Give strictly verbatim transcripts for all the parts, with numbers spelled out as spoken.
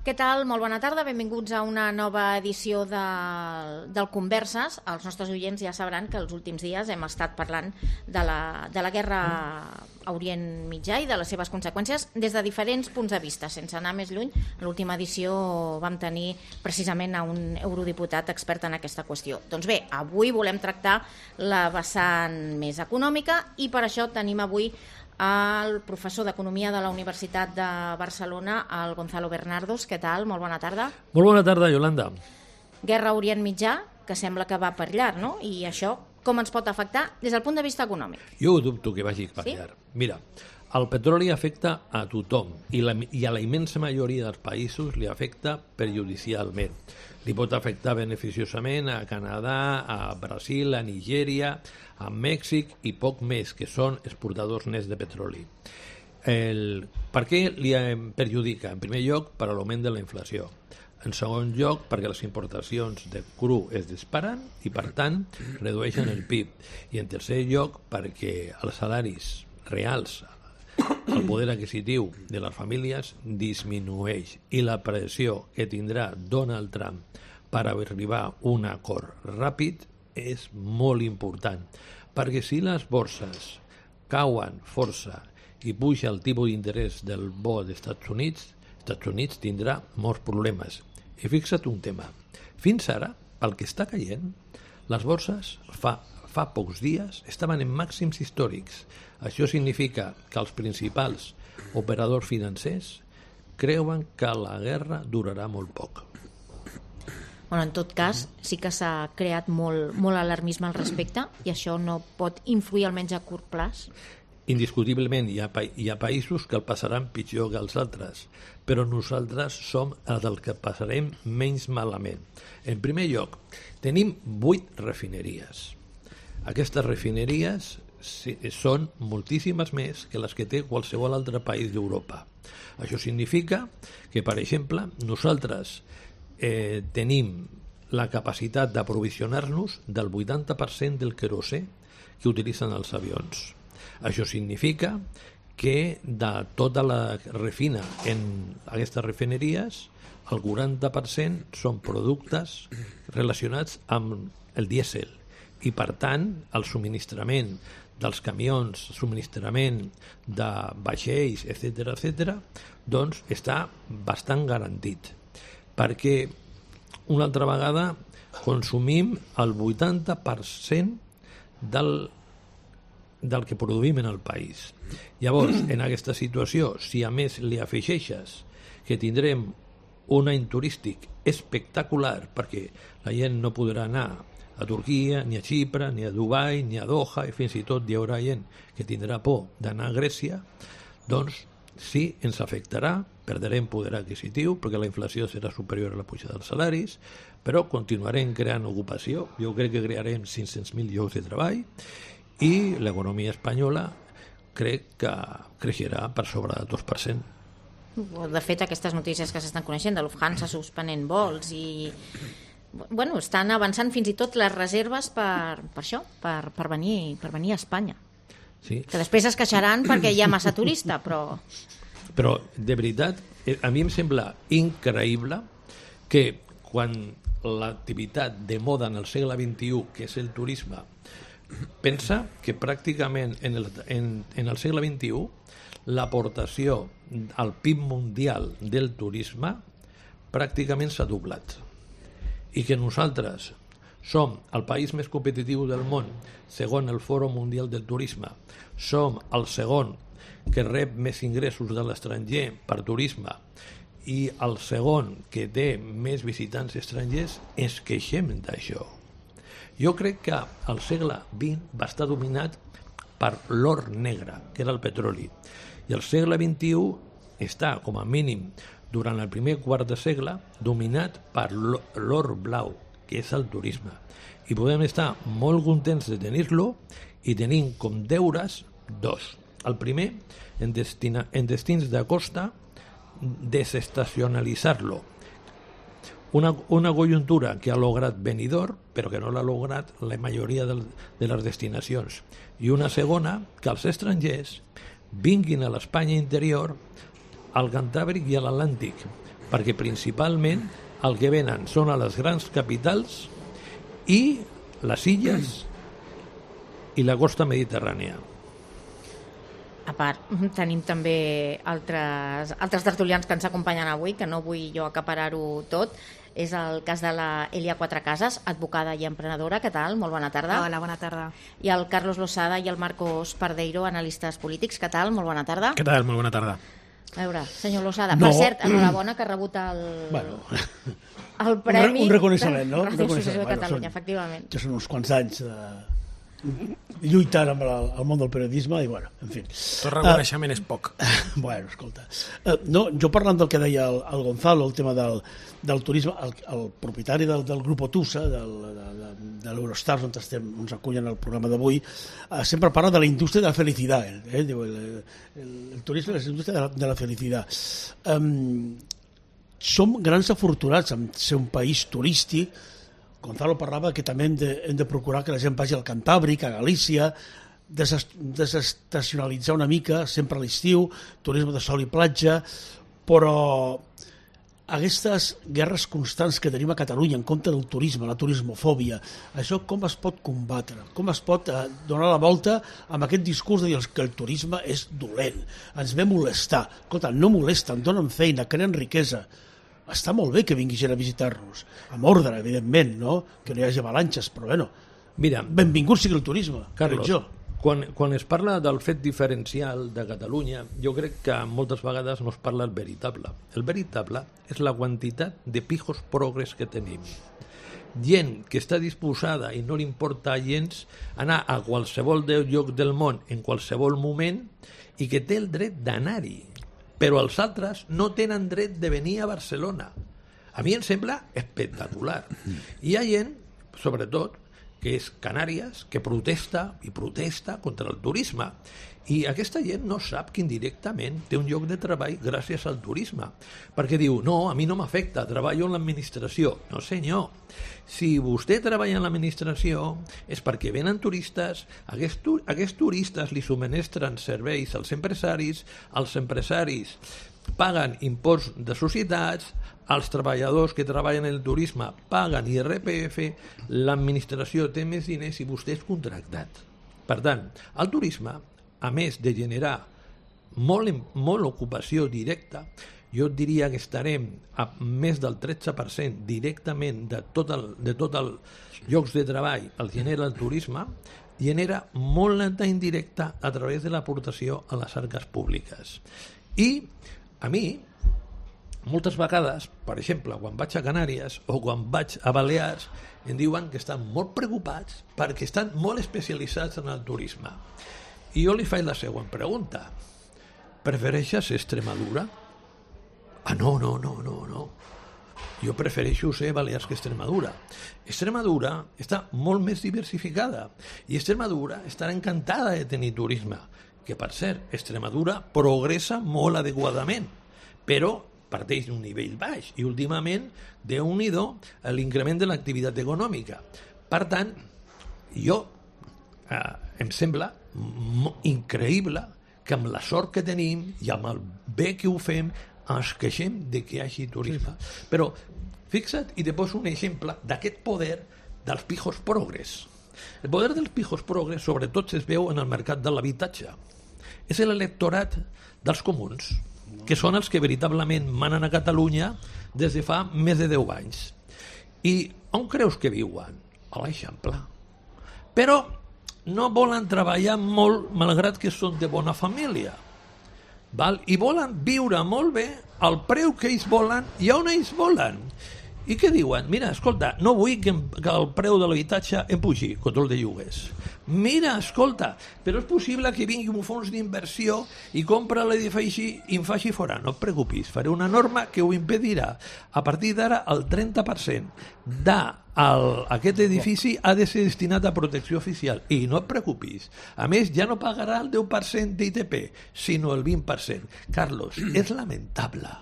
Què tal? Molt bona tarda, benvinguts a una nova edició de, del Converses. Els nostres oients ja sabran que els últims dies hem estat parlant de la, de la guerra a Orient Mitjà i de les seves conseqüències des de diferents punts de vista, sense anar més lluny. En l'última edició vam tenir precisament a un eurodiputat expert en aquesta qüestió. Doncs bé, avui volem tractar la vessant més econòmica i per això tenim avui el professor d'Economia de la Universitat de Barcelona, el Gonzalo Bernardos. Què tal? Molt bona tarda. Molt bona tarda, Yolanda. Guerra a Orient Mitjà, que sembla que va per llarg, no? I això com ens pot afectar des del punt de vista econòmic? Jo ho dubto que vagi per llarg. Sí? Mira, el petroli afecta a tothom i, la, i a la immensa majoria dels països li afecta perjudicialment. Li pot afectar beneficiosament a Canadà, a Brasil, a Nigèria, a Mèxic i poc més, que són exportadors nets de petroli. El, per què li perjudica? En primer lloc, per l'augment de la inflació. En segon lloc, perquè les importacions de cru es disparen i, per tant, redueixen el P I B. I en tercer lloc, perquè els salaris reals, el poder adquisitiu de les famílies disminueix i la pressió que tindrà Donald Trump per arribar a un acord ràpid és molt important, perquè si les borses cauen força i puja el tipus d'interès del bo dels Estats Units, els Estats Units tindrà molts problemes. I fixa't un tema, fins ara, pel que està caient, les borses fa, fa pocs dies estaven en màxims històrics. Això significa que els principals operadors financers creuen que la guerra durarà molt poc. Bueno, en tot cas, sí que s'ha creat molt, molt alarmisme al respecte i això no pot influir almenys a curt plaç. Indiscutiblement hi ha, hi ha països que el passaran pitjor que els altres, però nosaltres som els del que passarem menys malament. En primer lloc, tenim vuit refineries. Aquestes refineries són moltíssimes més que les que té qualsevol altre país d'Europa. Això significa que, per exemple, nosaltres eh, tenim la capacitat d'aprovisionar-nos del vuitanta per cent del querosè que utilitzen els avions. Això significa que de tota la refina en aquestes refineries, el quaranta per cent són productes relacionats amb el dièsel i, per tant, el subministrament dels camions, subministrament de vaixells, etcètera, etcètera, doncs està bastant garantit. Perquè, una altra vegada, consumim el vuitanta per cent del, del que produïm en el país. Llavors, en aquesta situació, si a més li afegeixes que tindrem un any turístic espectacular, perquè la gent no podrà anar a Turquia, ni a Xipre, ni a Dubai, ni a Doha, i fins i tot hi haurà gent que tindrà por d'anar a Grècia, doncs sí, ens afectarà, perdrem poder adquisitiu, perquè la inflació serà superior a la pujada dels salaris, però continuarem creant ocupació, jo crec que crearem cinc-cents mil llocs de treball, i l'economia espanyola crec que creixerà per sobre del dos per cent. De fet, aquestes notícies que s'estan coneixent de Lufthansa suspenent vols i... Bueno, estan avançant fins i tot les reserves per, per això, per, per, venir, per venir a Espanya. Sí. Que després es queixaran perquè hi ha massa turista, però... Però, de veritat, a mi em sembla increïble que quan l'activitat de moda en el segle vint-i-u, que és el turisme, pensa que pràcticament en el, en, en el segle vint-i-u l'aportació al P I B mundial del turisme pràcticament s'ha doblat. I que nosaltres som el país més competitiu del món, segons el Fòrum Mundial del Turisme, som el segon que rep més ingressos de l'estranger per turisme i el segon que té més visitants estrangers, ens queixem d'això. Jo crec que el segle vint va estar dominat per l'or negre, que era el petroli, i el segle vint-i-u està, com a mínim, durant el primer quart de segle, dominat per l'or blau, que és el turisme. I podem estar molt contents de tenir-lo i tenim com deures dos. El primer, en, destina, en destins de costa, desestacionalitzar-lo. Una, una conjuntura que ha lograt Benidorm, però que no l'ha lograt la majoria de, de les destinacions. I una segona, que els estrangers vinguin a l'Espanya interior, al Cantàbric i a l'Atlàntic, perquè principalment el que venen són a les grans capitals i les illes i la costa mediterrània. A part, tenim també altres, altres tertulians que ens acompanyen avui, que no vull jo acaparar-ho tot. És el cas de la Elia Quatrecases, advocada i emprenedora. Què tal? Molt bona tarda. Hola, bona tarda. I el Carlos Losada i el Marcos Pardeiro, analistes polítics. Què tal? Molt bona tarda. Què tal? Molt bona tarda. A veure, senyor Losada, no. per cert, enhorabona que ha rebut el, bueno, el premi... Un, re, un reconeixement, no? de Ràdio Associació de Catalunya, bueno, efectivament. Ja són uns quants anys de... lluitant amb el, el món del periodisme i, bueno, en fi. Tot reconeixement uh, és poc. Bueno, escolta. Uh, no, jo parlant del que deia el, el Gonzalo, el tema del, del turisme, el, el propietari del, del grup Otusa, del, de, de, de l'Eurostars, on estem, ens acullen al programa d'avui, uh, sempre parla de la indústria de la felicitat. Eh? Diu, el, el, el turisme és la indústria de la, de la felicitat. Um, som grans afortunats en ser un país turístic. Gonzalo parlava que també hem de, hem de procurar que la gent vagi al Cantàbric, a Galícia, desestacionalitzar una mica, sempre a l'estiu, turisme de sol i platja, però aquestes guerres constants que tenim a Catalunya en contra del turisme, la turismofòbia, això com es pot combatre? Com es pot eh, donar la volta amb aquest discurs de dir que el turisme és dolent, ens ve molestar? Escolta, no molesten, donen feina, creen riquesa. Està molt bé que vingui gent a visitar-nos, amb ordre, evidentment, no? Que no hi hagi avalanxes, però bueno, mira, benvingut sigui el turisme, Carlos, jo. Quan, quan es parla del fet diferencial de Catalunya, jo crec que moltes vegades no es parla el veritable. El veritable és la quantitat de pijos progres que tenim. Gent que està disposada i no li importa gens anar a qualsevol lloc del món en qualsevol moment i que té el dret d'anar-hi. Però els altres no tenen dret de venir a Barcelona. A mi em sembla espectacular. Hi ha gent, sobretot, que és Canàries, que protesta i protesta contra el turisme. I aquesta gent no sap que indirectament té un lloc de treball gràcies al turisme. Perquè diu, no, a mi no m'afecta, treballo en l'administració. No, senyor. Si vostè treballa en l'administració és perquè venen turistes, aquests, tu aquests turistes li subministren serveis als empresaris, els empresaris paguen impost de societats, els treballadors que treballen en el turisme paguen I R P F, l'administració té més diners i vostè és contractat. Per tant, el turisme, a més de generar molt, molt ocupació directa, jo diria que estarem a més del tretze per cent directament de tot el, de tot els llocs de treball el genera el turisme, genera molta indirecta a través de l'aportació a les arques públiques. I a mi, moltes vegades, per exemple, quan vaig a Canàries o quan vaig a Balears, em diuen que estan molt preocupats perquè estan molt especialitzats en el turisme. I jo li faig la següent pregunta. Prefereixes Extremadura? Ah, no, no, no, no, no. Jo prefereixo ser Balears que Extremadura. Extremadura està molt més diversificada i Extremadura estarà encantada de tenir turisme, que per cert, Extremadura progressa molt adequadament, però parteix d'un nivell baix i últimament déu-n'hi-do l'increment de l'activitat econòmica. Per tant, jo eh, em sembla increïble que amb la sort que tenim i amb el bé que ho fem ens queixem de que hi hagi turisme. Però fixa't i te poso un exemple d'aquest poder dels pijos progres. El poder dels pijos progres sobretot es veu en el mercat de l'habitatge. És l'electorat dels comuns, que són els que veritablement manen a Catalunya des de fa més de deu anys. I on creus que viuen? A l'Eixample. Però no volen treballar molt malgrat que són de bona família. Val? I volen viure molt bé al preu que ells volen i on ells volen. I què diuen? Mira, escolta, no vull que, que el preu de l'habitatge em pugi, control de lloguers. Mira, escolta, però és possible que vingui un fons d'inversió i compra l'edifici i em faci fora. No et preocupis, faré una norma que ho impedirà. A partir d'ara, el trenta per cent d'aquest edifici ha de ser destinat a protecció oficial. I no et preocupis. A més, ja no pagarà el deu per cent d'I T P, sinó el vint per cent. Carlos, és lamentable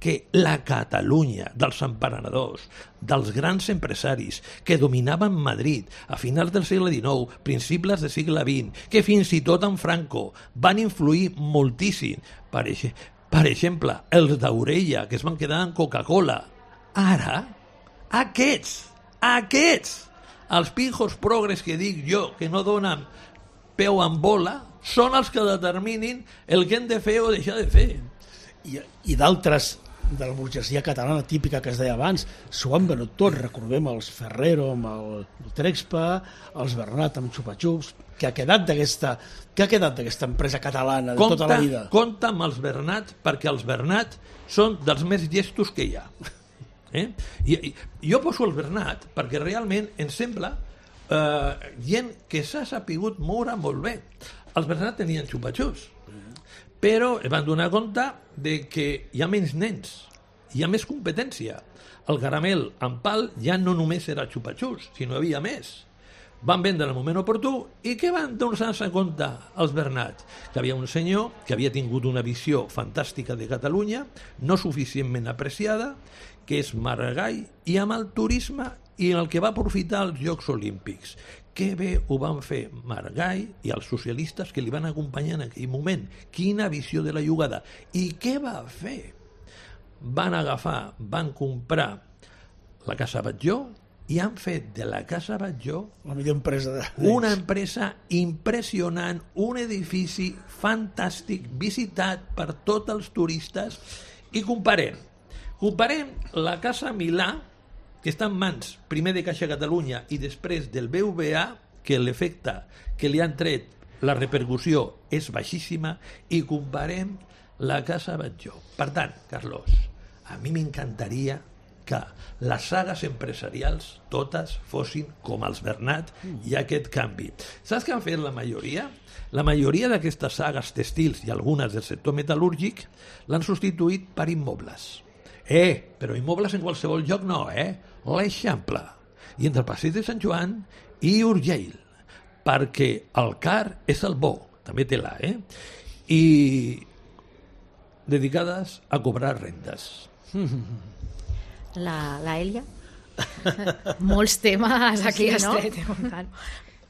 que la Catalunya dels emprenedors, dels grans empresaris que dominaven Madrid a finals del segle dinou, principis del segle vint, que fins i tot en Franco van influir moltíssim per, Per exemple, els d'Orella, que es van quedar en Coca-Cola. Ara, aquests, aquests, els pijos progres que dic jo, que no donen peu en bola, són els que determinin el que hem de fer o deixar de fer. I, i d'altres de la burgesia catalana típica que es deia abans, s'ho han venut tot. Recordem els Ferrero amb el Trexpa, els Bernat amb Xupa-Xups, que ha quedat d'aquesta que ha quedat d'aquesta empresa catalana de compta, tota la vida. Compta amb els Bernat, perquè els Bernat són dels més llestos que hi ha. Eh? I, i, jo poso el Bernat perquè realment em sembla eh, gent que s'ha sapigut moure molt bé. Els Bernat tenien xupa-xups, però es van donar compte de que hi ha menys nens, hi ha més competència. El caramel en pal ja no només era xupa-xups, sinó havia més. Van vendre en el moment oportú i què van donar-se compte els Bernat? Que havia un senyor que havia tingut una visió fantàstica de Catalunya, no suficientment apreciada, que és Maragall, i amb el turisme i el que va aprofitar els Jocs Olímpics. Que bé ho van fer Maragall i els socialistes que li van acompanyar en aquell moment. Quina visió de la jugada. I què va fer? Van agafar, van comprar la Casa Batlló i han fet de la Casa Batlló la millor empresa de... una empresa impressionant, un edifici fantàstic, visitat per tots els turistes. I comparem. Comparem la Casa Milà, que està en mans primer de Caixa Catalunya i després del B V A, que l'efecte que li han tret, la repercussió és baixíssima, i comparem la Casa Batlló. Per tant, Carlos, a mi m'encantaria que les sagues empresarials totes fossin com els Bernat i aquest canvi. Saps què han fet la majoria? La majoria d'aquestes sagues textils i algunes del sector metal·lúrgic l'han substituït per immobles. Eh, però immobles en qualsevol lloc no, eh? L'Eixample, i entre el passeig de Sant Joan i Urgell, perquè el car és el bo, també té la, eh? I dedicades a cobrar rendes. La, la Elia? Molts temes aquí Sí, sí, no? estret.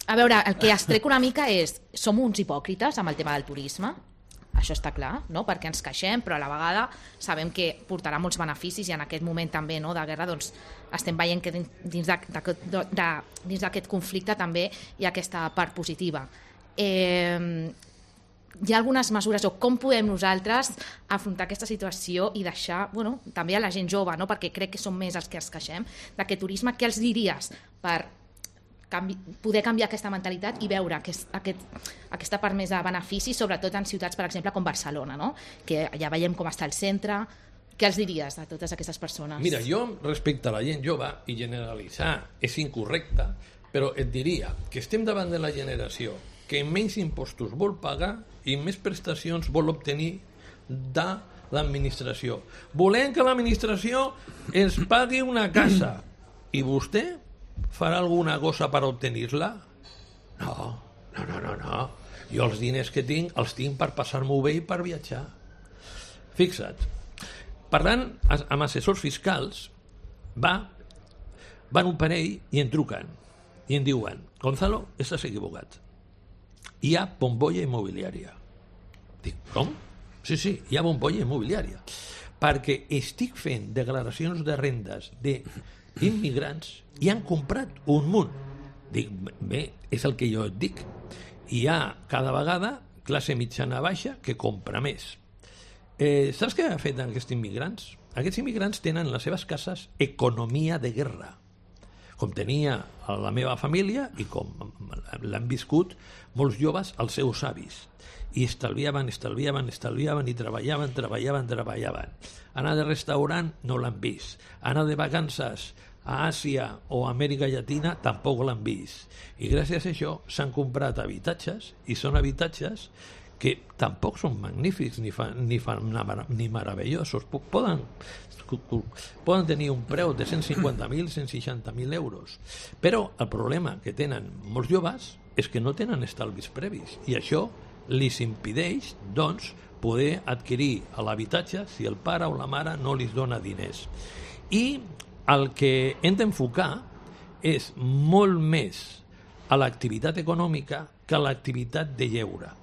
A veure, el que es trec una mica és som uns hipòcrites amb el tema del turisme, això està clar, no? Perquè ens queixem, però a la vegada sabem que portarà molts beneficis i en aquest moment també, no, de guerra, doncs estem veient que dins d'aquest conflicte també hi ha aquesta part positiva. Eh, hi ha algunes mesures, o com podem nosaltres afrontar aquesta situació i deixar, bueno, també a la gent jove, no? Perquè crec que som més els que ens queixem d'aquest turisme. Què els diries per canvi, poder canviar aquesta mentalitat i veure aquest, aquest, aquesta part més de benefici, sobretot en ciutats, per exemple, com Barcelona, no? Que ja veiem com està el centre. Què els diries a totes aquestes persones? Mira, jo respecte a la gent jove, i generalitzar és incorrecte, però et diria que estem davant de la generació que menys impostos vol pagar i més prestacions vol obtenir de l'administració. Volem que l'administració ens pagui una casa i vostè farà alguna cosa per obtenir-la? No, no, no, no, no. Jo els diners que tinc els tinc per passar-m'ho bé i per viatjar. Fixa't. Parlant amb assessors fiscals, va, van un parell i em truquen i em diuen: Gonzalo, estàs equivocat. Hi ha bombolla immobiliària. Dic, com? Sí, sí, hi ha bombolla immobiliària. Perquè estic fent declaracions de rendes d'immigrants i han comprat un munt. Dic, bé, és el que jo et dic. Hi ha cada vegada classe mitjana baixa que compra més. Eh, saps què ha fet aquests immigrants? Aquests immigrants tenen en les seves cases economia de guerra, com tenia la meva família i com l'han viscut molts joves als seus avis. I estalviaven, estalviaven, estalviaven i treballaven, treballaven, treballaven. Anar de restaurant no l'han vist. Anar de vacances a Àsia o a Amèrica Llatina tampoc l'han vist. I gràcies a això s'han comprat habitatges, i són habitatges que tampoc són magnífics ni, fa, ni, fa, ni meravellosos. Poden, poden tenir un preu de cent cinquanta mil, cent seixanta mil euros. Però el problema que tenen molts joves és que no tenen estalvis previs, i això li impedeix, doncs, poder adquirir l'habitatge si el pare o la mare no li dona diners. I el que hem d'enfocar és molt més a l'activitat econòmica que a l'activitat de lleure.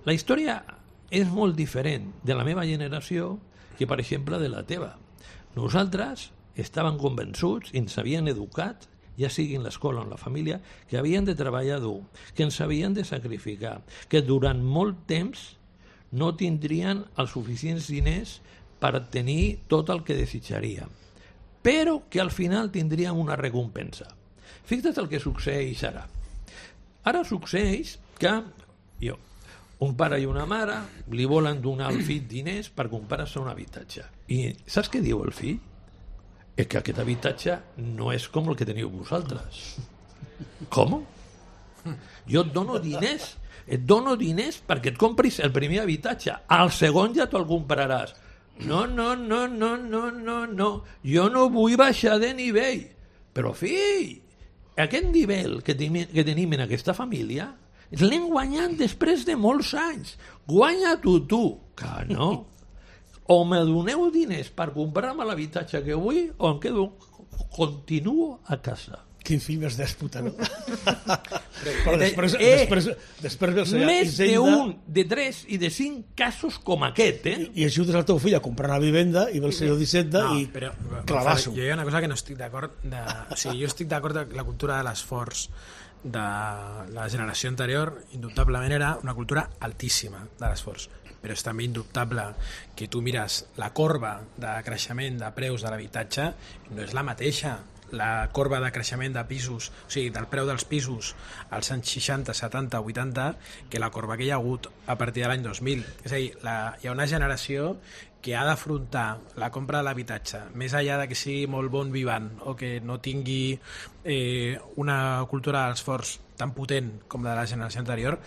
La història és molt diferent de la meva generació que, per exemple, de la teva. Nosaltres estàvem convençuts i ens havien educat, ja sigui en l'escola o en la família, que havien de treballar dur, que ens havien de sacrificar, que durant molt temps no tindrien els suficients diners per tenir tot el que desitjaria, però que al final tindrien una recompensa. Fixa't el que succeeix ara. Ara succeeix que jo, un pare i una mare li volen donar al fill diners per comprar-se un habitatge. I saps què diu el fill? És que aquest habitatge no és com el que teniu vosaltres. Com? Jo et dono diners, et dono diners perquè et compris el primer habitatge. Al segon ja te'l compraràs. No, no, no, no, no, no, no. Jo no vull baixar de nivell. Però, fill, aquest nivell que, ten que tenim en aquesta família l'hem guanyat després de molts anys. Guanya-t'ho tu. Que no. O me doneu diners per comprar-me l'habitatge que vull o em quedo, continuo a casa. Quin fill més dèspota, no? Però després, eh, després, després ve el senyor més Hisenda, d'un, de tres i de cinc casos com aquest, eh? i, i ajudes el teu fill a comprar una vivenda i ve el senyor d'Hisenda No, i però, clavasso. Jo hi ha una cosa que no estic d'acord. De, o sigui, jo estic d'acord que la cultura de l'esforç de la generació anterior indubtablement era una cultura altíssima de l'esforç, però és també indubtable que tu mires la corba de creixement de preus de l'habitatge no és la mateixa. La corba de creixement de pisos, o sigui, del preu dels pisos als anys seixanta, setanta, vuitanta, que la corba que hi ha hagut a partir de l'any dos mil. És a dir, la, hi ha una generació que ha d'afrontar la compra de l'habitatge, més enllà de que sigui molt bon vivant o que no tingui eh, una cultura de l'esforç tan potent com la de la generació anterior,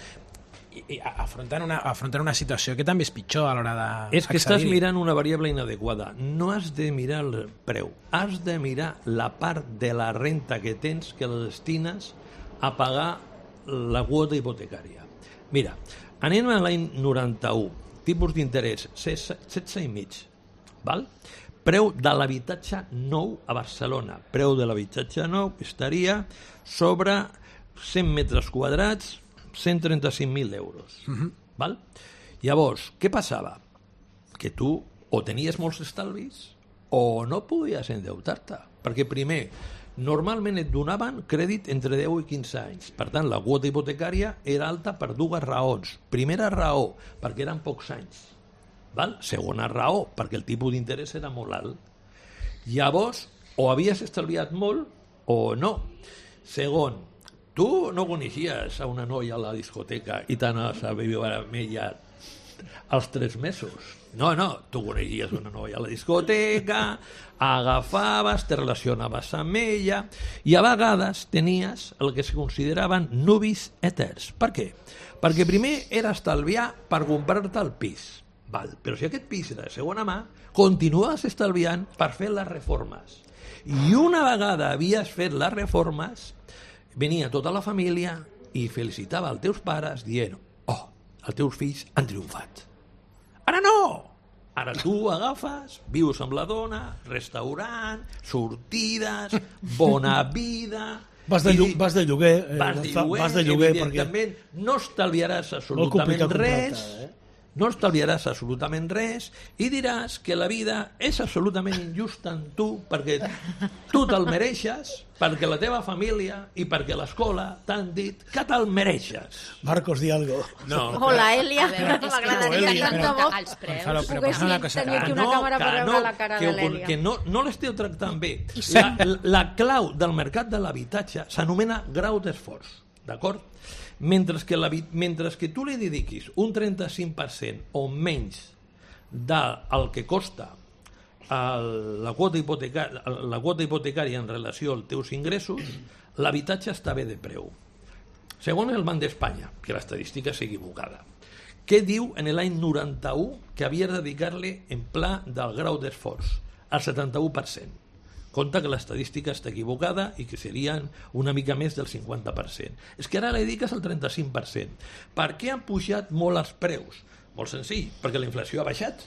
i, i afrontant, una, afrontant una situació que també és pitjor a l'hora de És que estàs mirant una variable inadequada. No has de mirar el preu, has de mirar la part de la renta que tens que la destines a pagar la quota hipotecària. Mira, anem a l'any noranta-u, tipus d'interès setze i mig, val? Preu de l'habitatge nou a Barcelona. Preu de l'habitatge nou estaria sobre cent metres quadrats, cent trenta-cinc mil euros. Uh-huh. Val? Llavors, què passava? Que tu o tenies molts estalvis o no podies endeutar-te. Perquè primer, normalment et donaven crèdit entre deu i quinze anys. Per tant, la quota hipotecària era alta per dues raons. Primera raó, perquè eren pocs anys. Val? Segona raó, perquè el tipus d'interès era molt alt. Llavors, o havies estalviat molt o no. Segon, tu no coneixies a una noia a la discoteca i t'anaves a viure amb ella als tres mesos. No, no, tu coneixies una noia a la discoteca, agafaves, te relacionaves amb ella i a vegades tenies el que se consideraven nuvis eters. Per què? Perquè primer era estalviar per comprar-te el pis. Val, però si aquest pis era de segona mà, continuaves estalviant per fer les reformes. I una vegada havies fet les reformes, venia tota la família i felicitava els teus pares dient oh, els teus fills han triomfat. Ara no! Ara tu agafes, vius amb la dona, restaurant, sortides, bona vida... Vas de, llu vas de lloguer. Eh, vas de lloguer, vas de lloguer evidentment, perquè... no estalviaràs absolutament res... Eh? No estalviaràs absolutament res i diràs que la vida és absolutament injusta en tu perquè tu te'l mereixes, perquè la teva família i perquè l'escola t'han dit que te'l mereixes. Marcos, di algo. No, Hola, Elia. M'agradaria Tant de bo els preus. Gonzalo, però passa una cosa tenir aquí que- una càmera per veure no, la cara que, de l'Elia. que no, no l'esteu tractant bé. La, la, la clau del mercat de l'habitatge s'anomena grau d'esforç, d'acord? Mentre que, la, mentre que tu li dediquis un trenta-cinc per cent o menys del que costa el, la, quota hipotecària, la quota hipotecària en relació als teus ingressos, l'habitatge està bé de preu. Segons el Banc d'Espanya, que l'estadística és equivocada, què diu en l'any noranta-u que havia de dedicar-li en pla del grau d'esforç? El setanta-u per cent. Compte que l'estadística està equivocada i que serien una mica més del cinquanta per cent. És que ara li dediques el trenta-cinc per cent. Per què han pujat molt els preus? Molt senzill, perquè la inflació ha baixat.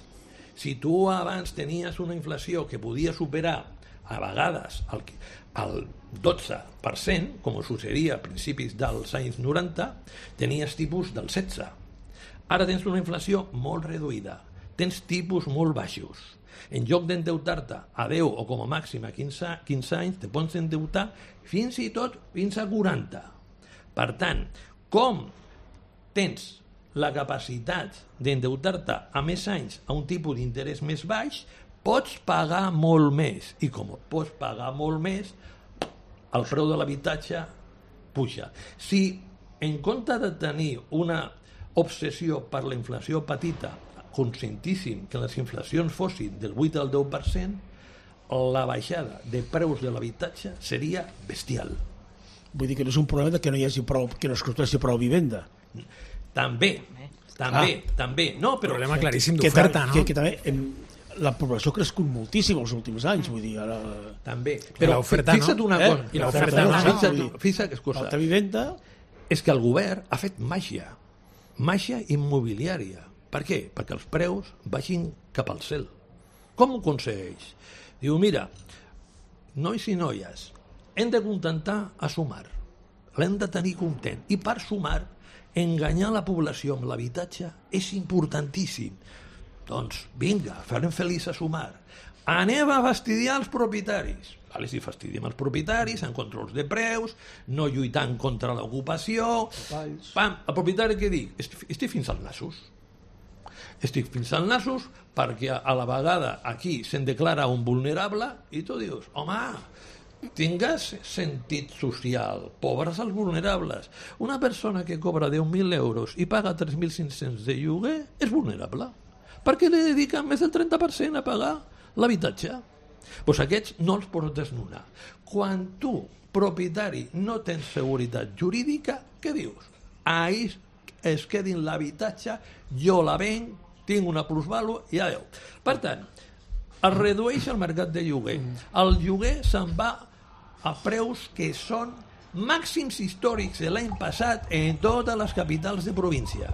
Si tu abans tenies una inflació que podia superar a vegades el, el dotze per cent, com succeïa a principis dels anys noranta, tenies tipus del setze. Ara tens una inflació molt reduïda, tens tipus molt baixos. En lloc d'endeutar-te a deu o com a màxim a quinze, quinze anys, te pots endeutar fins i tot fins a quaranta. Per tant, com tens la capacitat d'endeutar-te a més anys a un tipus d'interès més baix, pots pagar molt més. I com pots pagar molt més, el preu de l'habitatge puja. Si en compte de tenir una obsessió per la inflació petita, consentíssim que les inflacions fossin del vuit al deu per cent, la baixada de preus de l'habitatge seria bestial. Vull dir que no és un problema de que no hi hagi prou, que no es construeixi prou vivenda. També, també, ah. també. No, però... Problema claríssim que, d'oferta, que, no? Que, que també em, la població ha crescut moltíssim els últims anys, vull dir, ara... També. Però l'oferta, fixa't no? una Eh? cosa. I l'oferta, no? no? Fixa't, fixa't cosa. Falta vivenda... És que el govern ha fet màgia. Màgia immobiliària. Per què? Perquè els preus vagin cap al cel. Com ho aconsegueix? Diu, mira, nois i noies, hem de contentar a sumar. L'hem de tenir content. I per sumar, enganyar la població amb l'habitatge és importantíssim. Doncs vinga, farem feliç a sumar. Anem a fastidiar els propietaris. Vale, si fastidiem els propietaris, en controls de preus, no lluitant contra l'ocupació... Pam, el propietari què dic? Estic fins als nassos. Estic fins als nassos perquè a la vegada aquí se'n declara un vulnerable i tu dius, home, tingues sentit social, pobres els vulnerables. Una persona que cobra deu mil euros i paga tres mil cinc-cents de lloguer és vulnerable. Perquè li dediquen més del trenta per cent a pagar l'habitatge. Doncs aquests no els pots desnonar. Quan tu, propietari, no tens seguretat jurídica, què dius? Ahir es quedin l'habitatge, jo la venc, tinc una plusvàlua i adeu. Per tant, es redueix el mercat de lloguer. El lloguer se'n va a preus que són màxims històrics de l'any passat en totes les capitals de província.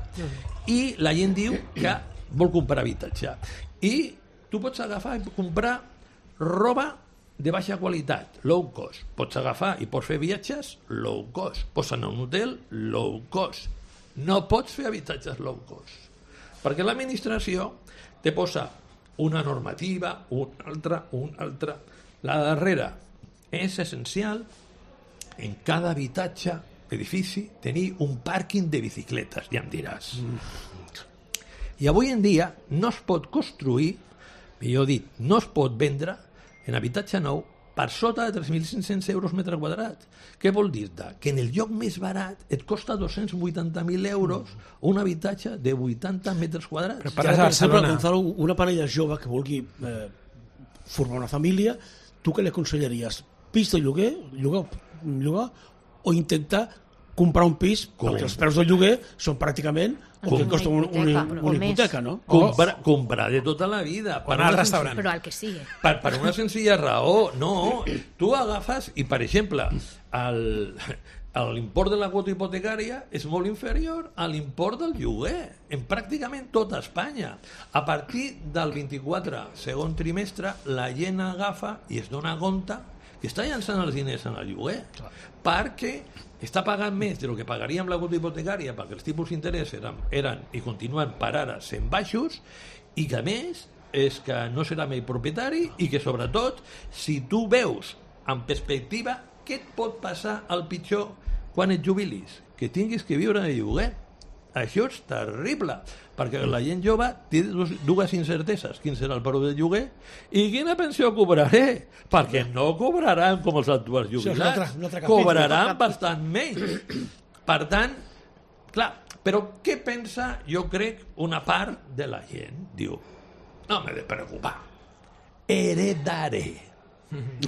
I la gent diu que vol comprar habitatge. I tu pots agafar i comprar roba de baixa qualitat, low cost. Pots agafar i pots fer viatges low cost. Pots anar a un hotel low cost. No pots fer habitatges low cost. Perquè l'administració te posa una normativa, una altra, una altra. La darrera és essencial en cada habitatge, edifici, tenir un pàrquing de bicicletes, ja em diràs. Mm. I avui en dia no es pot construir, millor dit, no es pot vendre en habitatge nou per sota de tres mil cinc-cents euros metre quadrat. Què vol dir? Que en el lloc més barat et costa dos-cents vuitanta mil euros un habitatge de vuitanta metres quadrats. Però parles de Barcelona. Gonzalo, una parella jove que vulgui eh, formar una família, tu què li aconsellaries? Pis de lloguer, llogar, llogar o intentar comprar un pis, Com? perquè els preus del lloguer són pràcticament el que costa un, un, una, una hipoteca, no? Comprar, comprar de tota la vida. Per anar al restaurant. Però el que sigui. Per, per una senzilla raó. No, tu agafes i, per exemple, l'import de la quota hipotecària és molt inferior a l'import del lloguer en pràcticament tota Espanya. A partir del vint-i-quatre segon trimestre, la gent agafa i es dona compte que està llançant els diners en el lloguer, perquè està pagant més del que pagaria amb la quota hipotecària, perquè els tipus d'interès eren, eren i continuen per ara sent baixos, i que a més és que no serà mai propietari i que sobretot, si tu veus en perspectiva què et pot passar al pitjor quan et jubilis, que tinguis que viure de lloguer. Això és terrible, perquè la gent jove té dues incerteses: quin serà el preu del lloguer i quina pensió cobraré, perquè no cobraran com els actuals jubilats, cobraran bastant menys. Per tant, clar, però què pensa, jo crec, una part de la gent? Diu, no m'he de preocupar, heredaré,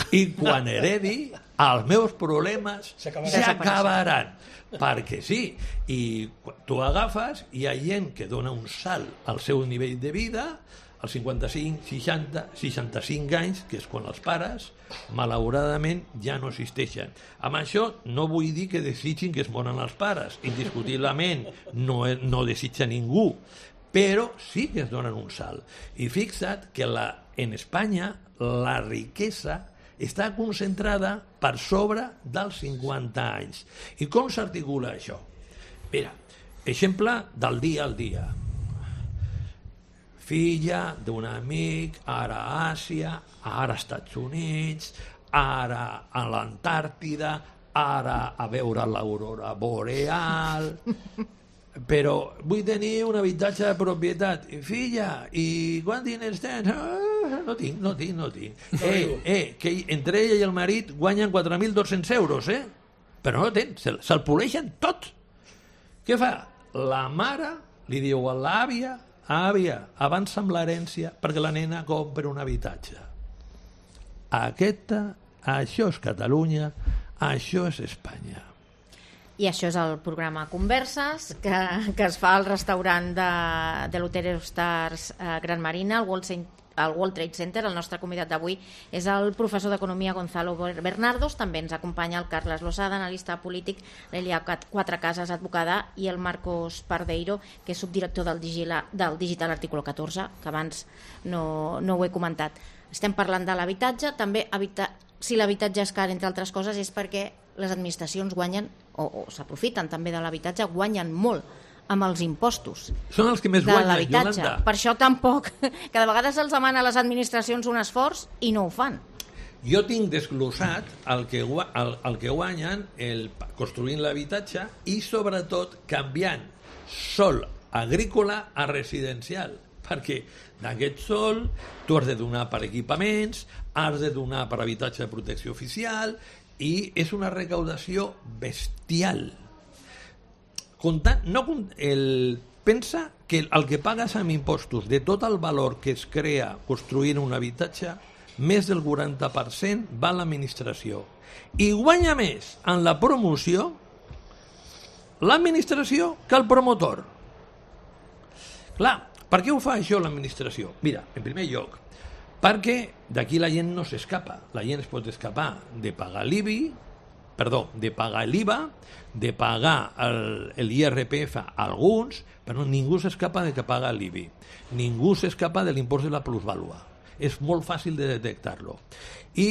i quan heredi els meus problemes s'acabaran. Perquè sí, i tu agafes i hi ha gent que dona un salt al seu nivell de vida als cinquanta-cinc, seixanta, seixanta-cinc anys, que és quan els pares malauradament ja no existeixen. Amb això no vull dir que desitgin que es moren els pares, indiscutiblement no, no desitja ningú, però sí que es donen un salt. I fixa't que la, en Espanya la riquesa està concentrada per sobre dels cinquanta anys. I com s'articula això? Mira, exemple del dia al dia. Filla d'un amic, ara a Àsia, ara als Estats Units, ara a l'Antàrtida, ara a veure l'aurora boreal, però vull tenir un habitatge de propietat. Filla, i quants diners tens? Ah, no tinc, no tinc, no tinc. Eh, eh, que entre ella i el marit guanyen quatre mil dos-cents euros, eh? Però no tens, se'l, se'l poleixen tot. Què fa? La mare li diu a l'àvia, àvia, avança amb l'herència perquè la nena compra un habitatge. Aquesta, això és Catalunya, això és Espanya. I això és el programa Converses, que, que es fa al restaurant de, de l'Hotel Eurostars eh, Gran Marina, al World, al World Trade Center. El nostre convidat d'avui és el professor d'Economia Gonzalo Bernardos. També ens acompanya el Carles Losada, analista polític, l'Elia Quatrecases, advocada, i el Marcos Pardeiro, que és subdirector del, Digila, del Digital Artículo catorze, que abans no, no ho he comentat. Estem parlant de l'habitatge. També habita, si l'habitatge és car, entre altres coses, és perquè les administracions guanyen, o, o s'aprofiten també de l'habitatge, guanyen molt amb els impostos. Són els que més guanyen, Yolanda. Per això tampoc, que de vegades els demana a les administracions un esforç i no ho fan. Jo tinc desglossat el que, el, el que guanyen el, construint l'habitatge i sobretot canviant sòl agrícola a residencial, perquè d'aquest sòl tu has de donar per equipaments, has de donar per habitatge de protecció oficial, i és una recaudació bestial. Comptant, no, el, pensa que el que pagues amb impostos de tot el valor que es crea construint un habitatge, més del quaranta per cent va a l'administració. I guanya més en la promoció l'administració que el promotor. Clar, per què ho fa això l'administració? Mira, en primer lloc, perquè d'aquí la gent no s'escapa. La gent es pot escapar de pagar l'I B I, perdó, de pagar l'I V A, de pagar l'I R P F a alguns, però ningú s'escapa de que paga l'I B I. Ningú s'escapa de l'impost de la plusvàlua. És molt fàcil de detectar-lo. I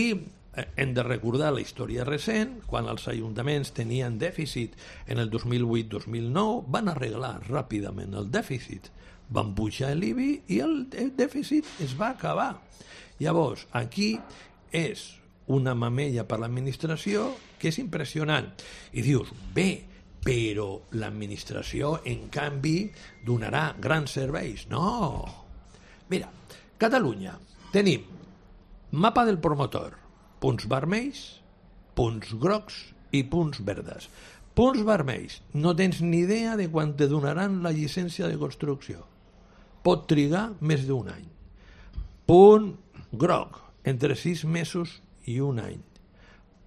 hem de recordar la història recent, quan els ajuntaments tenien dèficit en el dos mil vuit dos mil nou, van arreglar ràpidament el dèficit. Van pujar l'I B I i el dèficit es va acabar. Llavors, aquí és una mamella per l'administració que és impressionant. I dius, bé, però l'administració, en canvi, donarà grans serveis. No! Mira, Catalunya, tenim mapa del promotor, punts vermells, punts grocs i punts verdes. Punts vermells, no tens ni idea de quan te donaran la llicència de construcció. Pot trigar més d'un any. Punt groc, entre sis mesos i un any.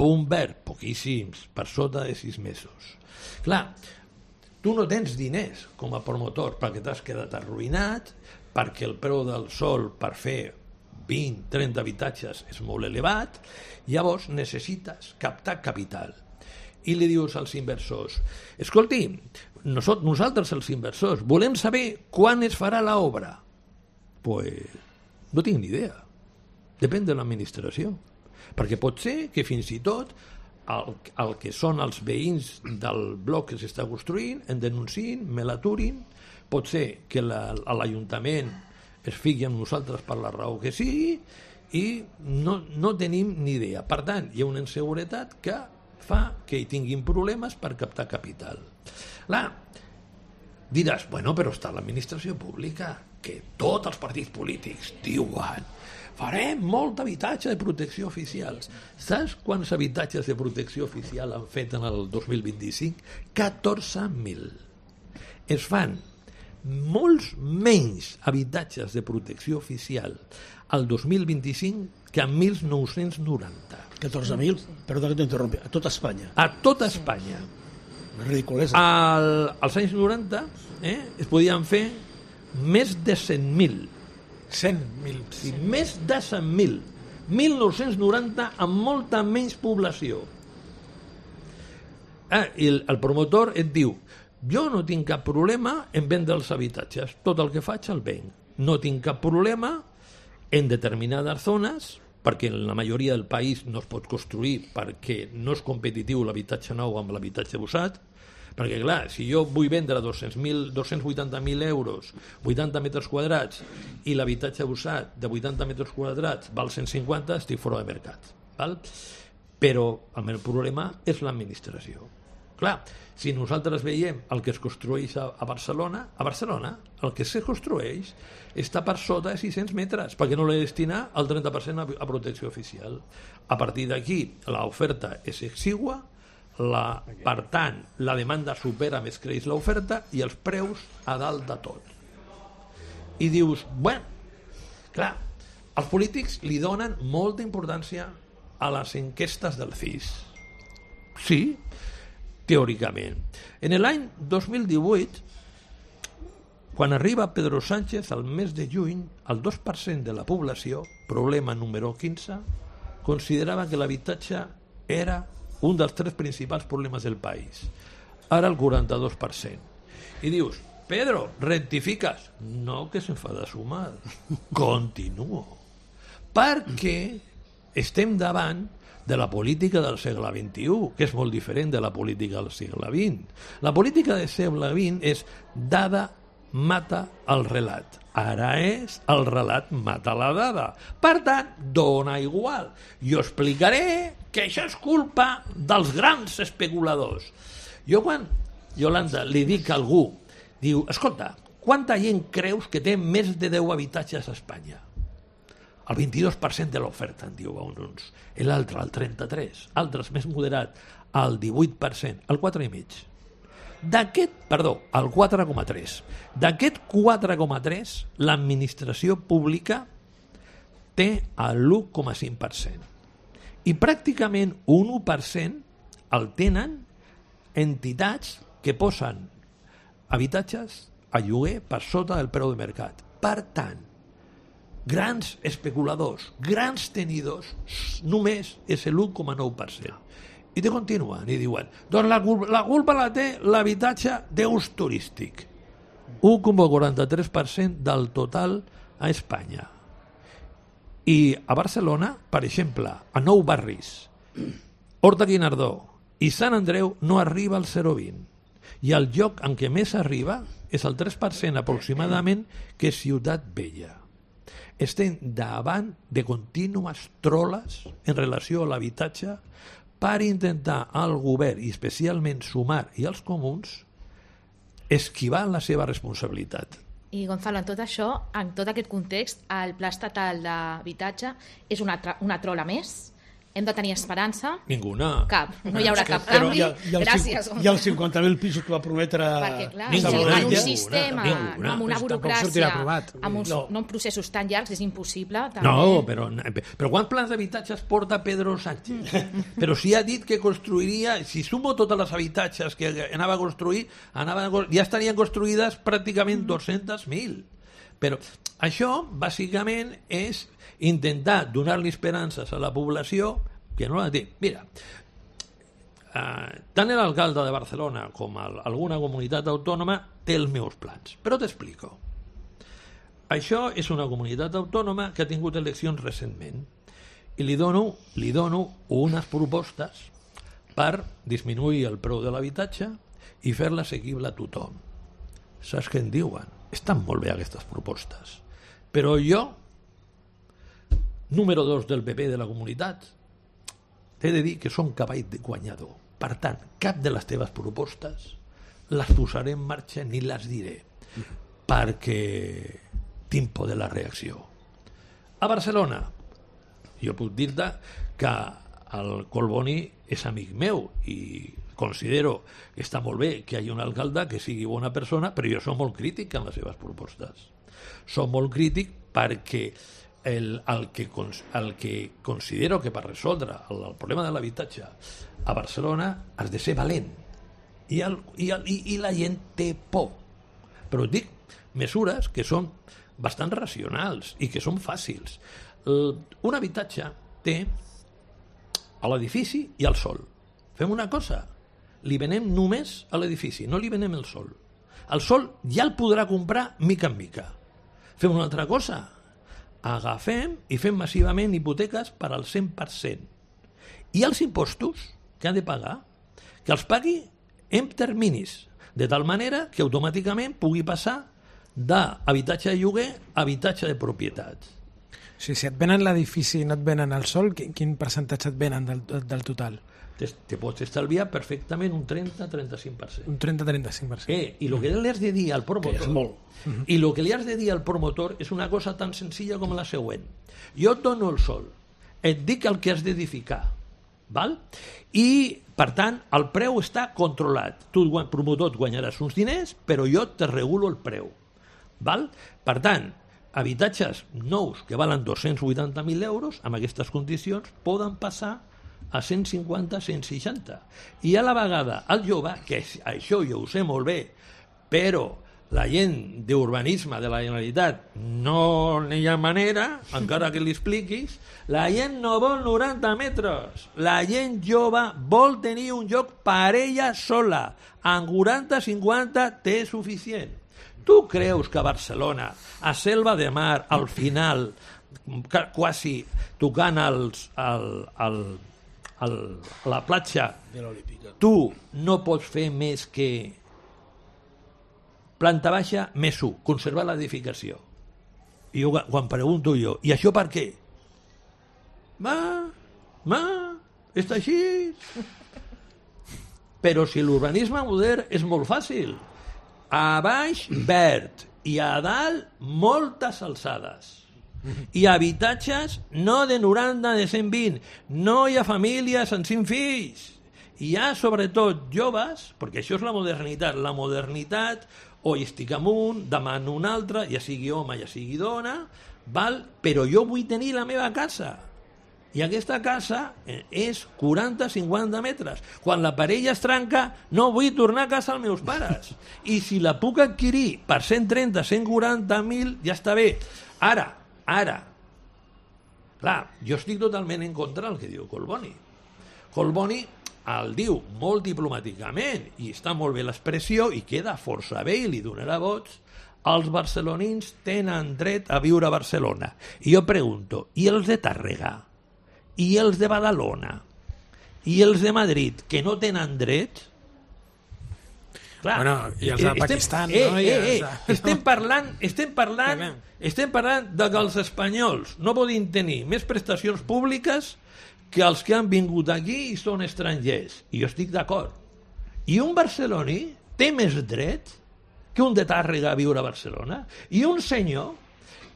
Punt verd, poquíssims, per sota de sis mesos. Clar, tu no tens diners com a promotor perquè t'has quedat arruïnat, perquè el preu del sòl per fer vint a trenta habitatges és molt elevat, llavors necessites captar capital. I li dius als inversors, escolti, nosaltres els inversors volem saber quan es farà l'obra. Pues no tinc ni idea. Depèn de l'administració. Perquè pot ser que fins i tot el, el que són els veïns del bloc que s'està construint en denunciïn, me l'aturin. Pot ser que la, l'Ajuntament es fiqui amb nosaltres per la raó que sigui i no, no tenim ni idea. Per tant, hi ha una inseguretat que fa que hi tinguin problemes per captar capital. Clar, diràs, bueno, però està l'administració pública, que tots els partits polítics diuen farem molt habitatge de protecció oficial. Saps quants habitatges de protecció oficial han fet en el dos mil vint-i-cinc? catorze mil. Es fan molts menys habitatges de protecció oficial al dos mil vint-i-cinc que en mil nou-cents noranta. catorze mil? Perdó que t'interrompi. A tot Espanya. A tot Espanya. Ridiculesa. Al, als anys noranta eh, es podien fer més de cent mil. cent mil. Sí, més de cent mil. mil nou-cents noranta amb molta menys població. Ah, i el, el promotor et diu, jo no tinc cap problema en vendre els habitatges, tot el que faig el venc. No tinc cap problema en determinades zones, perquè en la majoria del país no es pot construir perquè no és competitiu l'habitatge nou amb l'habitatge usat, Perquè, clar, si jo vull vendre dos-cents mil, dos-cents vuitanta mil euros, vuitanta metres quadrats, i l'habitatge usat de vuitanta metres quadrats val cent cinquanta, estic fora de mercat. Val? Però el meu problema és l'administració. Clar, si nosaltres veiem el que es construeix a, a Barcelona, a Barcelona el que se construeix està per sota de sis-cents metres, perquè no l'he destinat el trenta per cent a, a protecció oficial. A partir d'aquí, l'oferta és exigua, la, per tant, la demanda supera més creix l'oferta i els preus a dalt de tot. I dius, bueno, clar, els polítics li donen molta importància a les enquestes del C I S. Sí, teòricament. En l'any dos mil divuit, quan arriba Pedro Sánchez, al mes de juny, el dos per cent de la població, problema número quinze, considerava que l'habitatge era un dels tres principals problemes del país. Ara el quaranta-dos per cent. I dius, Pedro, rectifiques? No, que s'enfada sumar. Continuo. Perquè estem davant de la política del segle vint-i-u, que és molt diferent de la política del segle vint. La política del segle vint és dada mata el relat. Ara és el relat mata la dada. Per tant, dona igual. Jo explicaré que això és culpa dels grans especuladors. Jo quan, Yolanda, li dic a algú, diu, escolta, quanta gent creus que té més de deu habitatges a Espanya? El vint-i-dos per cent de l'oferta, en diu uns. L'altre, el trenta-tres per cent. Altres, més moderat, el divuit per cent. El quatre coma cinc per cent. D'aquest, perdó, el quatre coma tres per cent. D'aquest quatre coma tres per cent, l'administració pública té l'u coma cinc per cent. I pràcticament un u per cent el tenen entitats que posen habitatges a lloguer per sota del preu de mercat. Per tant, grans especuladors, grans tenidors, només és l'u coma nou per cent. I te continuen i diuen, doncs la, la culpa la té l'habitatge d'ús turístic. u coma quaranta-tres per cent del total a Espanya. I a Barcelona, per exemple, a nou barris, Horta Guinardó i Sant Andreu no arriba al zero coma vint. I el lloc en què més arriba és el tres per cent aproximadament, que és Ciutat Vella. Estem davant de contínues troles en relació a l'habitatge per intentar al govern, i especialment Sumar i els comuns, esquivar la seva responsabilitat. I Gonzalo, en tot això, en tot aquest context, el Pla Estatal d'Habitatge és una, una trola més? Hem de tenir esperança? Ninguna. Cap. No hi haurà cap Però canvi. hi ha, hi ha Gràcies. Hi ha els cinquanta mil pisos que va prometre... Perquè, clar, Ninguna, si en un ninguna, sistema, ninguna. no, amb una Però tampoc burocràcia, sortirà aprovat. amb uns No. no. processos tan llargs, és impossible. També. No, però, però quants plans d'habitatges porta Pedro Sánchez? Però si ha dit que construiria, si sumo totes les habitatges que anava a construir, anava a, ja estarien construïdes pràcticament dos-cents mil. Però això, bàsicament, és intentar donar-li esperances a la població que no la té. Mira, eh, tant l'alcalde de Barcelona com el, alguna comunitat autònoma té els meus plans, però t'explico. Això és una comunitat autònoma que ha tingut eleccions recentment i li dono, li dono unes propostes per disminuir el preu de l'habitatge i fer-la assequible a tothom. Saps què en diuen? Estan molt bé aquestes propostes, però jo, número dos del P P de la comunitat, t'he de dir que som cavall de guanyador. Per tant, cap de les teves propostes les posaré en marxa ni les diré, perquè tinc por de la reacció. A Barcelona, jo puc dir-te que el Collboni és amic meu i considero que està molt bé que hi hagi un alcalde que sigui bona persona, però jo soc molt crític en les seves propostes. Soc molt crític perquè El, el, que, el que considero que per resoldre el, el problema de l'habitatge a Barcelona has de ser valent i, el, i, el, i, i la gent té por, però et dic mesures que són bastant racionals i que són fàcils. El, un habitatge té a l'edifici i al sol. Fem una cosa, li venem només a l'edifici, no li venem el sol. El sol ja el podrà comprar mica en mica. Fem una altra cosa, agafem i fem massivament hipoteques per al cent per cent. I els impostos que han de pagar, que els pagui en terminis, de tal manera que automàticament pugui passar d'habitatge de lloguer a habitatge de propietat. O sigui, si et venen l'edifici i no et venen el sol, quin, quin percentatge et venen del, del total? Te, te pots estalviar perfectament un trenta a trenta-cinc per cent. Un trenta a trenta-cinc per cent. Eh, I el que li has de dir al promotor... Que és molt. I el que li has de dir al promotor és una cosa tan senzilla com la següent. Jo et dono el sol, et dic el que has d'edificar, val? I, per tant, el preu està controlat. Tu, promotor, et guanyaràs uns diners, però jo te regulo el preu. Val? Per tant, habitatges nous que valen dos-cents vuitanta mil euros, amb aquestes condicions, poden passar a cent cinquanta a cent seixanta. I a la vegada el jove, que això jo ho sé molt bé, però la gent d'urbanisme de la Generalitat no n'hi ha manera, encara que li expliquis, la gent no vol noranta metres, la gent jove vol tenir un lloc per ella sola, amb quaranta cinquanta té suficient. Tu creus que a Barcelona, a Selva de Mar, al final, quasi tocant els, el, el, el, la platja, tu no pots fer més que planta baixa més u, conservar l'edificació. I jo, quan pregunto jo, i això per què? Va, va, està així. Però si l'urbanisme modern és molt fàcil. A baix, verd, i a dalt, moltes alçades. I habitatges no de noranta, de cent vint. No hi ha famílies amb cinc fills. Hi ha, sobretot, joves, perquè això és la modernitat. La modernitat, o estic amunt, demano un altre, ja sigui home, ja sigui dona, val? Però jo vull tenir la meva casa. I aquesta casa és quaranta a cinquanta metres. Quan la parella es trenca, no vull tornar a casa als meus pares. I si la puc adquirir per cent trenta, cent quaranta mil, ja està bé. Ara, ara, clar, jo estic totalment en contra del que diu Collboni. Collboni el diu molt diplomàticament, i està molt bé l'expressió, i queda força bé, i li donarà vots. Els barcelonins tenen dret a viure a Barcelona. I jo pregunto, i els de Tàrrega? I els de Badalona? I els de Madrid, que no tenen dret? Clar, bueno, i els de estem, Pakistan, eh, no? Eh, eh, els eh, estem parlant, estem parlant, estem parlant de que els espanyols no poden tenir més prestacions públiques que els que han vingut aquí i són estrangers. I jo estic d'acord. I un barceloní té més dret que un de Tàrrega a viure a Barcelona? I un senyor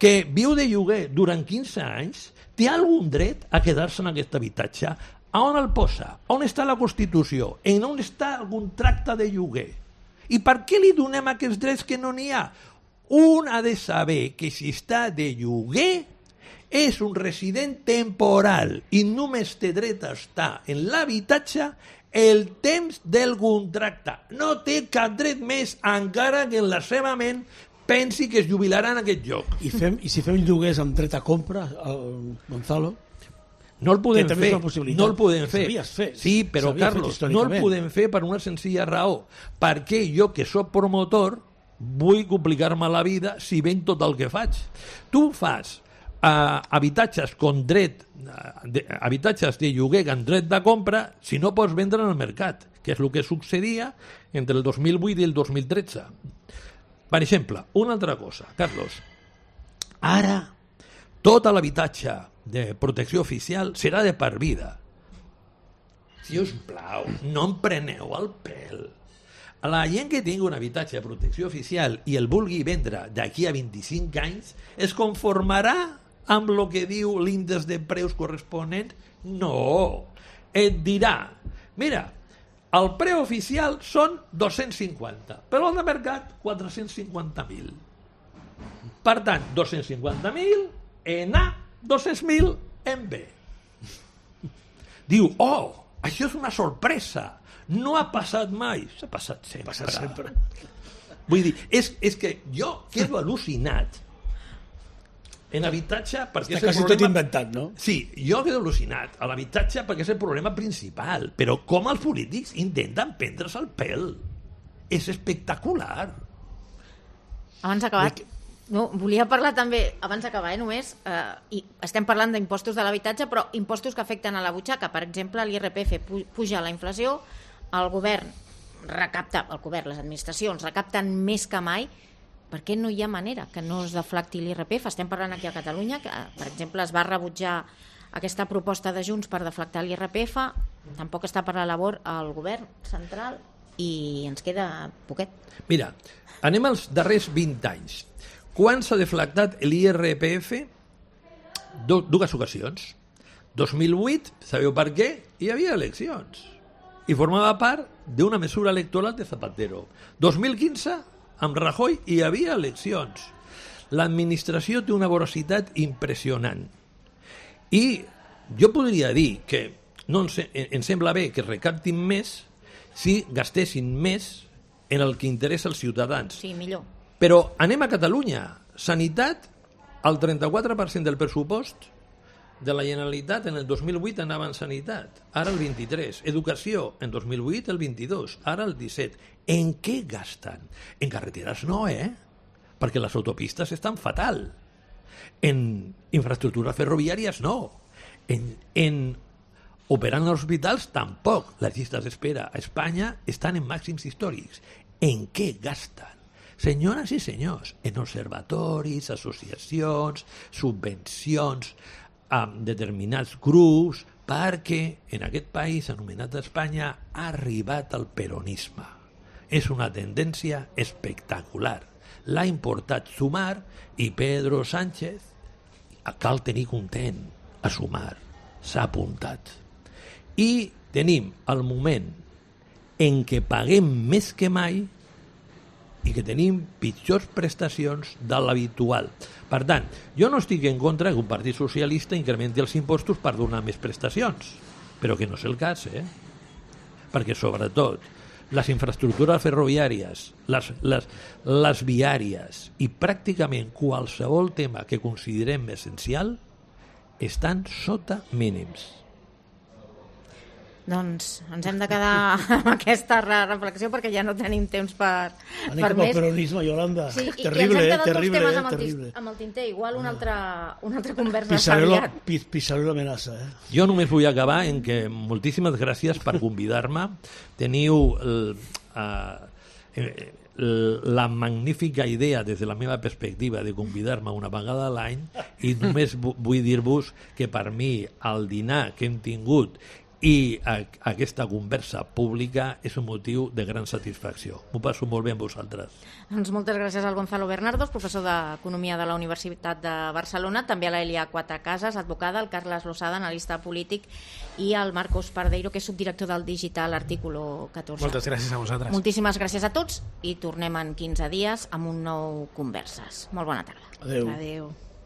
que viu de lloguer durant quinze anys té algun dret a quedar-se en aquest habitatge? A on el posa? On està la Constitució? En on està el contracte de lloguer? I per què li donem aquests drets que no n'hi ha? Un ha de saber que si està de lloguer és un resident temporal i només té dret a estar en l'habitatge el temps del contracte. No té cap dret més, encara que en la seva ment pensi que es jubilarà en aquest lloc. I, fem, i si fem lloguers amb dret a compra, el Gonzalo? No el podem fer, no el podem fer. fer. Sí, però Carlos, no el podem fer per una senzilla raó. Perquè jo, que sóc promotor, vull complicar-me la vida si ven tot el que faig. Tu fas Uh, habitatges con dret uh, de, habitatges de lloguer amb dret de compra si no pots vendre en el mercat, que és el que succedia entre el dos mil vuit i el dos mil tretze. Per exemple, una altra cosa, Carlos, ara tot l'habitatge de protecció oficial serà de per vida. Si us plau, no em preneu el pèl. A la gent que tingui un habitatge de protecció oficial i el vulgui vendre d'aquí a vint-i-cinc anys es conformarà amb el que diu l'índex de preus corresponent? No. Et dirà, mira, el preu oficial són dos-cents cinquanta, però al de mercat quatre-cents cinquanta mil. Per tant, dos-cents cinquanta mil en A, dos-cents mil en B. Diu, oh, això és una sorpresa. No ha passat mai. S'ha passat sempre. Passat sempre. Vull dir, és, és que jo quedo al·lucinat en habitatge perquè està és el quasi problema... tot inventat, no? Sí, jo quedo al·lucinat a l'habitatge perquè és el problema principal, però com els polítics intenten prendre's el pèl. És espectacular. Abans d'acabar, no, volia parlar també, abans d'acabar, eh, només, eh, i estem parlant d'impostos de l'habitatge, però impostos que afecten a la butxaca. Per exemple, l'I R P F puja la inflació, el govern recapta, el govern, les administracions, recapten més que mai, per què no hi ha manera que no es deflacti l'I R P F? Estem parlant aquí a Catalunya, que, per exemple, es va rebutjar aquesta proposta de Junts per deflactar l'I R P F, tampoc està per la labor el govern central i ens queda poquet. Mira, anem als darrers vint anys. Quan s'ha deflactat l'I R P F? Du dues ocasions. dos mil vuit, sabeu per què? Hi havia eleccions. I formava part d'una mesura electoral de Zapatero. dos mil quinze, amb Rajoy, hi havia eleccions. L'administració té una vorositat impressionant. I jo podria dir que no ens, ens sembla bé que recaptin més si gastessin més en el que interessa als ciutadans. Sí, millor. Però anem a Catalunya. Sanitat, el trenta-quatre per cent del pressupost de la Generalitat en el dos mil vuit anava en sanitat, ara el vint-i-tres. Educació, en dos mil vuit el vint-i-dos, ara el disset. En què gasten? En carreteres no, eh? Perquè les autopistes estan fatal. En infraestructures ferroviàries no. En, en operant als hospitals tampoc. Les llistes d'espera a Espanya estan en màxims històrics. En què gasten? Senyores i senyors, en observatoris, associacions, subvencions a determinats grups, perquè en aquest país anomenat Espanya ha arribat el peronisme. És una tendència espectacular. L'ha importat Sumar i Pedro Sánchez cal tenir content a Sumar. S'ha apuntat. I tenim el moment en què paguem més que mai i que tenim pitjors prestacions de l'habitual. Per tant, jo no estic en contra que un partit socialista incrementi els impostos per donar més prestacions, però que no és el cas, eh? Perquè, sobretot, les infraestructures ferroviàries, les, les, les viàries i pràcticament qualsevol tema que considerem essencial estan sota mínims. Doncs ens hem de quedar amb aquesta reflexió perquè ja no tenim temps per, Anem per cap més. al peronisme, Yolanda. Sí, i, terrible, i ens hem eh? quedat Terrible, dos temes eh? amb el, Terrible. amb el tinter. Igual una altra, una altra conversa Pisaré la, aviat. pis, pisaré l'amenaça, eh? Jo només vull acabar en que moltíssimes gràcies per convidar-me. Teniu el, uh, la magnífica idea, des de la meva perspectiva, de convidar-me una vegada a l'any, i només vull dir-vos que per mi el dinar que hem tingut i a, aquesta conversa pública és un motiu de gran satisfacció. M'ho passo molt bé amb vosaltres. Doncs moltes gràcies al Gonzalo Bernardos, professor d'Economia de la Universitat de Barcelona, també a l'Elia Quatrecases, advocada, al Carles Losada, analista polític, i al Marcos Pardeiro, que és subdirector del digital Artículo catorze. Moltes gràcies a vosaltres. Moltíssimes gràcies a tots i tornem en quinze dies amb un nou Converses. Molt bona tarda. Adéu. Adéu.